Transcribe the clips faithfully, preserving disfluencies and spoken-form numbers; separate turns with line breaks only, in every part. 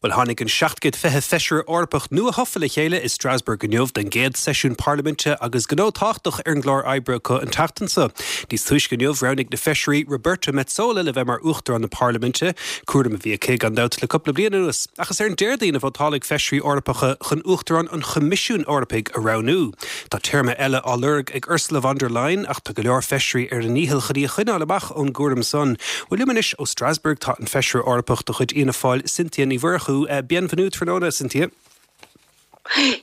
Well tháinig an seacht gcéad fiche feisire Eorpach nua-thofa le chéile i Strasbourg inniu don gcéad seisiún parlaiminte agus gnó tábhachtach ar an gclár oibre acu an tseachtain seo. Níos túisce inniu roghnaigh na feisirí Roberta Metsola le bheith mar uachtarán na parlaiminte, cúram a bhí aici gan dabht le cúpla bliain anuas. Ach is ar an Déardaoin a vótálfaidh feisirí Eorpacha chun uachtarán an Choimisiúin Eorpaigh a roghnú. Tá téarma eile á lorg ag Ursula von der Leyen ach tá go leor feisirí ar a ndícheall chun í a choinneáil amach ón gcúram san. Well liom anois ó Strasbourg tá an feisire Eorpach de chuid Fhianna Fáil Cynthia Ní Mhurchú bienvenue tráthnóna Cynthia.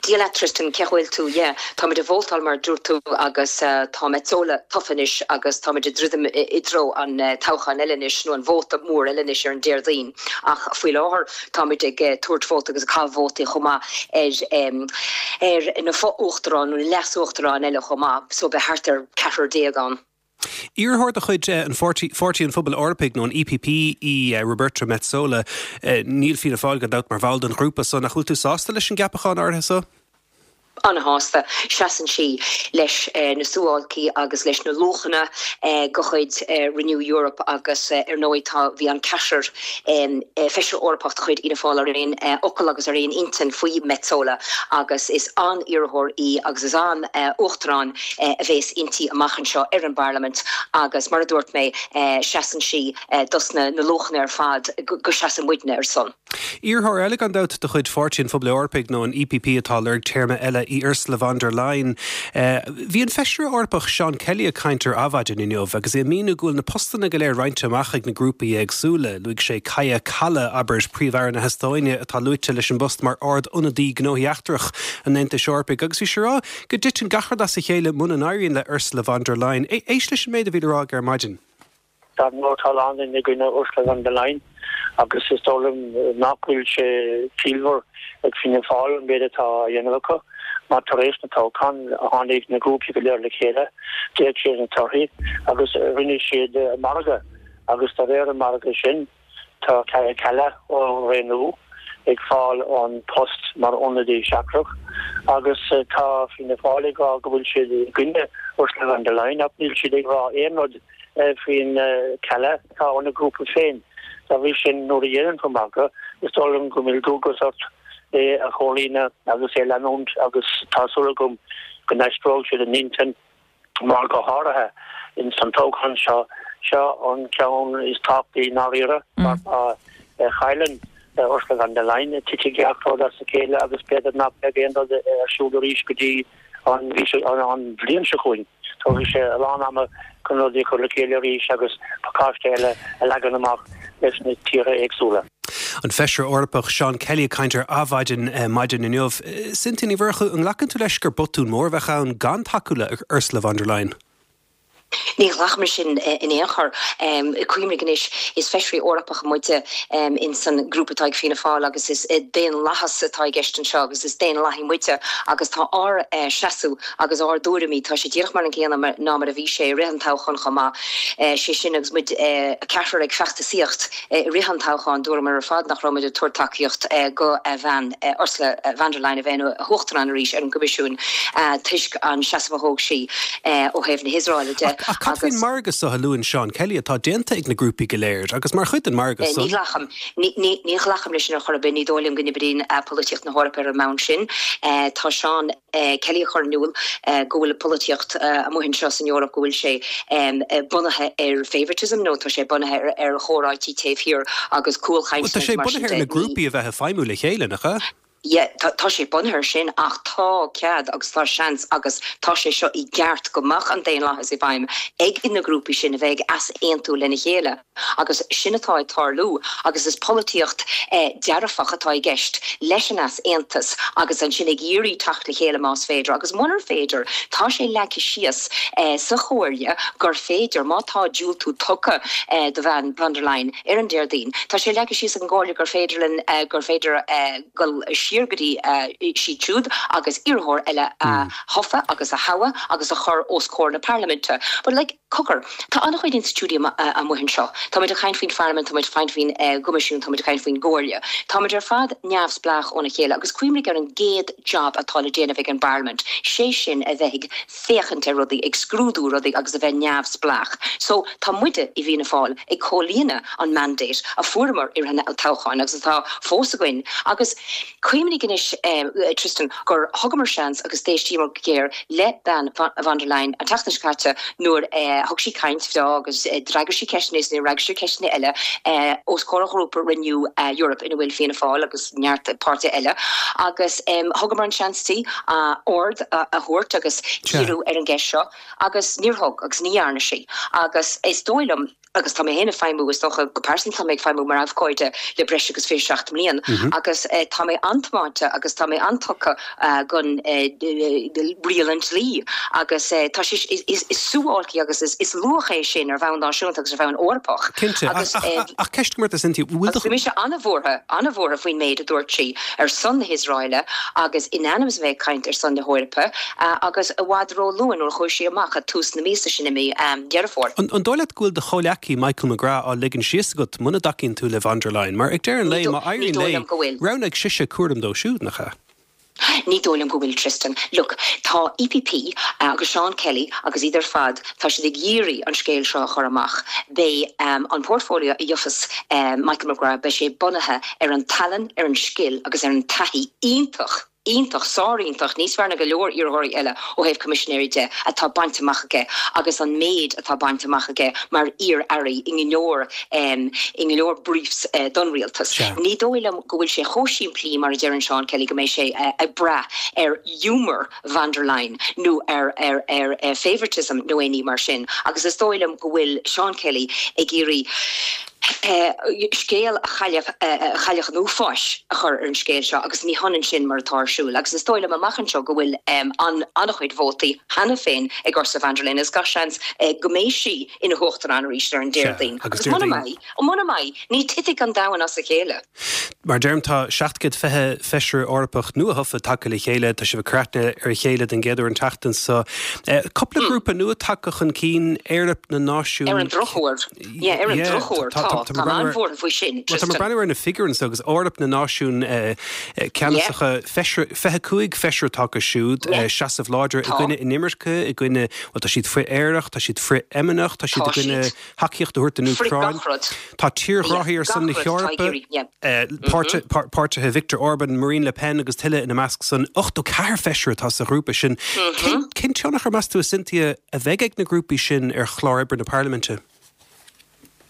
Dia leat Tristan cén chaoi a bhfuil tú yeah. Táimid ag vótáil mar dúirt tú agus uh, tá Metsola tofa anois agus táimid ag druidim i dtreo an uh, toghchán eile anois nó an vóta mór eile anois ar an Déardaoin ach faoi láthair táimid ag uh, tabhairt vóta agus cá vótaí chomh maith ar um, ar na fo-uachtaráin nó leas-uachtaráin eile chomh maith so beidh thart ar ceathrar déag ann.
Iarrthóir de chuid an Pháirtí an Phobail Eorpaigh nó an EPP í Roberta Metsola níl Fianna Fáil gan dabht mar bhall den ghrúpa san ach bhfuil tú sásta leis an gceapachán áirithe so?
An-shásta seasann sí leis eh, na suáilcí agus leis na luachanna eh, de chuid eh, Renew Europe agus eh, ar ndóigh tá bhí an ceathrar eh, feisire Eorpach de chuid Fhianna Fáil ar aon eh, fhocal agus ar aon intinn faoi Metsola agus is an-iarrthóir í agus is an eh, uachtarán eh, a bheas inti amach anseo ar an bParlaimint agus mar a dúirt mé eh, seasann sí eh, dos na na luachanna ar fad go, go seasann muidne ar son.
Iarrthóir eile gan dabht de chuid Pháirtí an Phobail Eorpaigh nó an EPP atá lorg téarma eile í Ursula von der Leyen. Uh, bhí an feisire Eorpach Sean Kelly ag caint ar Adhmhaidin inniu agus é ag míniú go bhfuil na postanna go léir roinnte amach ag na grúpaí éagsúla, Luaigh sé Kaja Kallas abair príomh-aire na hEastóine atá luaite leis an bpost mar Ard-Ionadaí Gnóthaí Eachtracha an Aontais Eorpaigh, agus bhí sé ag rá go dtiteann gach rud as a chéile muna n-éiríonn le Ursula von der Leyen. Éist leis an méid a bhí le rá ar maidin.
Tá nó tá in gcoinne Ursula von der Leyen agus is dóigh liom nach bhfuil sé ciallmhar ag Fianna Fáil an méid atá á dhéanamh acu mar tar éis na toghchán tháinig na grúpaí go léir le chéile d'fhéach siad na torthaí agus rinne siad margadh agus de réir an margadh sin tá Kaja ó Renew ag fáil an post mar ionadaí seachtrach agus tá Fianna Fáil ag rá go bhfuil siad i gcoinne Ursula von der Leyen ach níl siad ag rá aon rud faoin Kallas atá ina ngrúpa féin. Dá bhrí sin nuair a dhéanann tú margadh is dóigh liom go bhfuil dualgas ort é a chomhlíonadh agus é leanúint agus tá súil agam go n-aistreoidh siad a n-intinn mar go háirithe in san toghchán seo seo an ceann is tábhachtaí dáiríre mar má chailleann Ursula von der Leyen titfidh gach rud as a chéile agus b'fhéidir nach mbeidh aon rud ar siúl arís go dtí an an bhliain seo chugainn. Tógfaidh sé a lán ama chun rudaí a chur le chéile arís agus pacáiste eile a leagan amach leis na tíortha éagsúla.
An feisire Eorpach Sean Kelly ag caint ar Adhmhaidin eh, maidin inniu. Cynthia Ní Mhurchú an nglacann tú leis gur botún mór a bheadh ann gan tacú le Ursula von der Leyen.
Ní ghlacaim sin in aon chor cuimhnigh anois is feisirí Eorpacha muide in san grúpa atá ag Fianna Fáil agus is daonlathas atá i gceist anseo agus is daonlathaigh muide agus tá ár seasamh agus ár dtuairimí tá sé díreach mar an gcéanna ná mar a bhí sé i rith an toghcháin chomh maith sé sin agus muid ceathrar ag feachtasaíocht i rith an toghcháin dúramar ar fad nach raibh muid ag tabhairt tacaíocht do bhean Ursula von der Leyen a bheith ina huachtarán arís ar an gCoimisiún toisc an seasamh a thóg sí ó thaobh na hIosraeile de.
Ach cad faoin margadh so a luann Sean Kelly atá déanta ag na grúpaí go léir agus mar chuid den margadh
Ní ghlacaim ní ghlacaim leis sin ar chor ar bith ní dóigh liom go n-oibríonn polaitíocht na hEorpa ar an mbonn sin. Tá Sean Kelly ag cur in iúl go bhfuil polaitíocht amuigh anseo san Eoraip go bhfuil sé bunaithe ar favoritism nó tá sé bunaithe ar chomhráití taobh thiar agus cúlchaint
Tá sé bunaithe ar na grúpaí a bheith ag feidhmiú le chéile nach ea?
Yeah, tá sé bunaithe sin ach tá cead agus tá seans agus tá sé seo i gceart go mbeadh an daonlathas i bhfeidhm ag na grúpaí sin a bheith ag easaontú lena chéile agus sin atá ag tarlú agus is polaitíocht eh, dearfach atá i gceist leis an easaontas agus ansin ag iarraidh teacht le chéile más féidir agus munar féidir tá sé leagtha síos eh, sa chomhairle gur féidir má tá diúltú tugtha eh, do bhean von der Leyen ar an Déardaoin. Tá sé leagtha síos an gcomhairle gur féidir eh, gur féidir eh, dul siar go dtí siad siúd agus iarrthóir eile a thoghadh agus a thoghadh agus a chur os comhair na Parlaiminte. But like, cogar, tá an-chuid institiúidí amuigh anseo. Táimid ag caint faoin Pharlaimint, táimid ag caint faoin gCoimisiún, táimid ag caint faoin gComhairle. Táimid ar fad neamhspleách óna chéile agus cuimhnigh ar an gcéad job atá le déanamh ag an bParlaimint, sé sin a bheith ag féachaint ar rudaí, ag scrúdú rudaí agus a bheith neamhspleách. So tá muide i bhFianna Fáil ag comhlíonadh an mandate a fuaireamar i rith an toghcháin agus atá fós againn. Agus cuimhnigh anois eh, Tristan gur thugamar seans agus d'éistíomar go géar le bean von der Leyen an tseachtain seo caite nuair eh, thug sí caint bhreá agus eh, d'fhreagair sí ceisteanna is d'fhreagair sí ceisteanna eile eh, os comhair an ghrúpa Renew eh, Europe ina bhfuil Fianna Fáil agus neart páirtithe eile agus um, thugamar an seans di uh, aird a, a thabhairt agus díriú ar an gceist seo agus níor thug agus ní dhearna sí agus is dóigh liom agus tá mé féin ag feidhmiú is dócha go pearsanta tá mé ag feidhmiú mar abhcóide le breis agus fiche seacht mbliain mm -hmm. agus eh, tá mé an-tiomáinte agus tá mé an-tugtha uh, gon eh, riail an dlí agus eh, tá is, is, is, is suáilcí agus is, is luach é sin ar bhonn náisiúnta agus ar bhonn Eorpach.
Cinnte
agus
ach, ach ceist mar Cynthia
bhí mise an-bhuartha an-bhuartha faoin méid a dúirt sí ar son na hIosraeile agus in ainm is bheith caint ar son na hEorpa uh, agus i bhfad ró-luath nuair chuaigh sí amach a tús na míosa sin i mí um, Deireadh Fómhair.
An, an dóigh leat go bhfuil do chomhghleacaí Michael McGrath á ligean síos agat muna dtacaíonn tú le von der Leyen, mar ag deireadh an lae má éiríonn léi roghnaigh sise cúram dó siúd nach ea.
Ní dóigh liom go bhfuil Tristan. Look, tá EPP uh, agus Sean Kelly agus iad ar fad tá siad ag iarraidh an scéal seo a chur amach. Beidh um, an portfolio a gheobhas um, Michael McGrath beidh sé bunaithe ar an tallann, ar an scil agus ar an taithí iontach iontach sáriontach níos fearr ná go leor iarrthóirí eile ó thaobh coimisinéirí de atá bainte amach aige agus an méid atá bainte amach aige mar iar-aire i go leor um, i go leor briefs uh, don rialtas. Ní dóigh liom go bhfuil sé chomh simplí mar a deireann Sean Kelly go mbeidh sé uh, ag brath ar humour van der Leyen nó ar ar ar uh, favoritism nó aon ní mar sin. agus is dóigh liom go bhfuil Sean Kelly ag iarraidh Uh, scéal a chailleach an uafáis a chur ar an scéal seo agus ní hionann sin mar atá ar siúl agus is dóigh liom amach anseo go bhfuil um, an an-chuid vótaí cheana féin ag Ursula von der Leyen is gach seans uh, go mbeidh sí ina huachtarán arís ar an Déardaoin.
agus
Agus muna mbeidh ó muna mbeidh ní thitfidh an domhan as a chéile.
Mar deirim tá seacht gcéad fiche feisire Eorpach nuathofa tagtha le chéile tá sibh ag cur aithne ar a chéile den gcéad uair an tseachtain seo. Eh, cúpla grúpa nua tagtha chun cinn Eoraip na Náisiún.
Ar an drochuair ar an drochuair tá an-bhuartha faoi sin.
Tá breathnú ar na figiúirí agus Eoraip na Náisiún ceannasacha fiche cúig feisire tagtha siúd seasamh láidir i gcoinne inimirce i gcoinne well, tá siad frith-aerach, tá siad frith-fheimineach, tá siad i gcoinne tacaíocht a thabhairt don Úcráin. Tá tírghráthóirí ar son na hEorpa páirtithe Viktor Orban, Marine Le Pen agus tuilleadh ina measc san ochtó ceathair feisire atá sa ghrúpa sin. Cén tionchar meas tú a Cynthia a bheidh ag na grúpaí sin ar chlár oibre na Parlaiminte?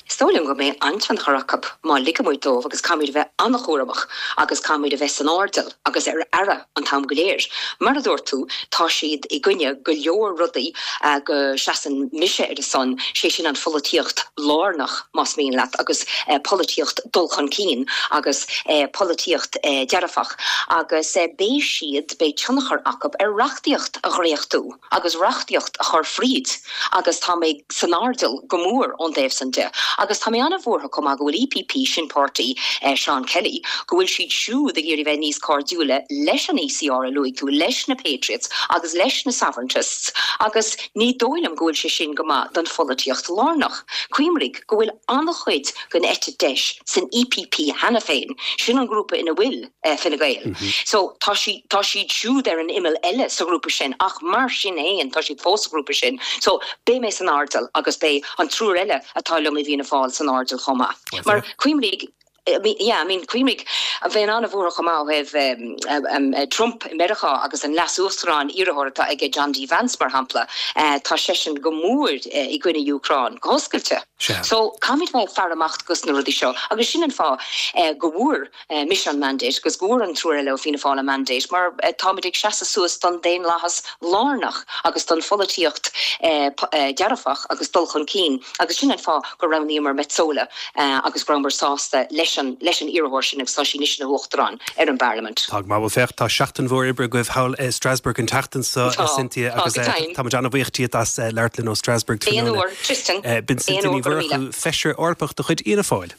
Is dóigh liom go mbeidh an-tionchar acu má ligimid dóibh agus caithfimid a bheith an-chúramach agus caithfimid a bheith san airdeall agus ar aire an t-am go léir. Mar a dúirt tú tá siad i gcoinne go leor rudaí uh, go seasann mise ar a son sé sin an pholaitíocht lárnach más mian leat agus uh, polaitíocht dul chun cinn agus uh, polaitíocht uh, dearfach agus uh, beidh siad beidh tionchar acu ar reachtaíocht a dhréachtú agus reachtaíocht a chur fríd agus tá mé san airdeall go mór ón dtaobh sin de. Agus tá mé an-bhuartha chomh maith go bhfuil EPP sin páirtí eh, Sean Kelly, go bhfuil siad siúd ag iarraidh bheith níos cairdiúla leis an ECR a luaigh tú leis na Patriots agus leis na Sovereigntists, agus ní dóigh liom go bhfuil sé sin go maith don pholaitíocht lárnach. Cuimhnigh go bhfuil an-chuid den eite dheis san EPP cheana féin, sin an grúpa ina bhfuil eh, Fine Gael. Mm -hmm. So tá si tá siad siúd ar an imeall eile sa ghrúpa sin ach mar sin féin tá siad fós sa ghrúpa sin. So beidh mé san airdeall agus beidh an triúr eile atá liom i bhFianna Fáil san airdeall chomh maith. Mar cuimhnigh Yeah, I mean cuimhnigh a bheith an-bhuartha chomh maith um, um, um, Trump i Meiriceá agus an leas-uachtarán iarrthóir atá aige John D. Vance mar shampla uh, tá seisean go mór uh, i gcoinne Úcráin go hoscailte. So caithfimid bheith faire amach dos na rudaí seo agus sin an fáth uh, go bhfuair uh, mise an mandate agus go bhfuair an triúr eile ó Fianna Fáil an mandate mar uh, táimid ag seasamh suas don daonlathas lárnach agus don pholaitíocht uh, uh, dearfach agus dul chun cinn agus sin an fáth go roghnaíomar Metsola uh, agus go rabhamar sásta leis an leis an iarrthóir sin agus tá sí anois ina huachtarán ar an bParlaimint.
Tá mar féach tá seachtain mhór oibre agaibh thall i Strasbourg an tseachtain seo Cynthia agus tá an-bhuíoch díot as labhairt linn ó Strasbourg
Tristan
B'in Cynthia Ní Mhurchú feisire Eorpach de chuid Fhianna Fáil.